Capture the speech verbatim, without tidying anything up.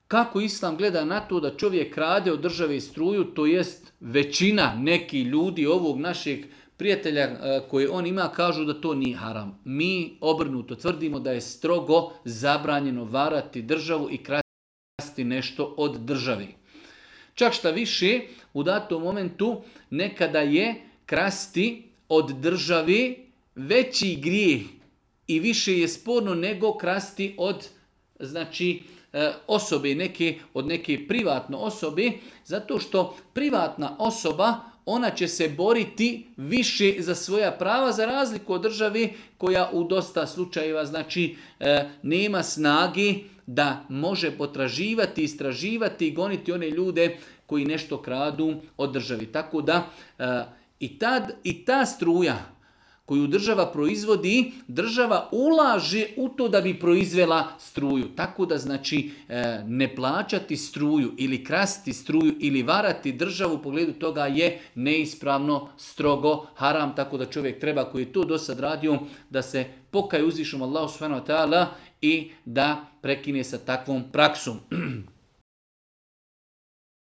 Kako Islam gleda na to da čovjek krade od države struju, to jest većina neki ljudi ovog našeg prijatelja koje on ima kažu da to nije haram. Mi obrnuto tvrdimo da je strogo zabranjeno varati državu i krasti nešto od države. Čak šta više, u datom momentu nekada je krasti od države veći grijeh i više je sporno nego krasti od znači osobe, neke, od neke privatne osobe, zato što privatna osoba, ona će se boriti više za svoja prava, za razliku od države koja u dosta slučajeva znači nema snage da može potraživati, istraživati i goniti one ljude koji nešto kradu od državi. Tako da i ta, i ta struja koju država proizvodi, država ulaže u to da bi proizvela struju. Tako da znači ne plaćati struju ili krasti struju ili varati državu u pogledu toga je neispravno, strogo, haram. Tako da čovjek treba koji je to do sad radio da se pokaje uzvišenom Allahu subhanahu wa ta'ala i da prekine sa takvom praksom.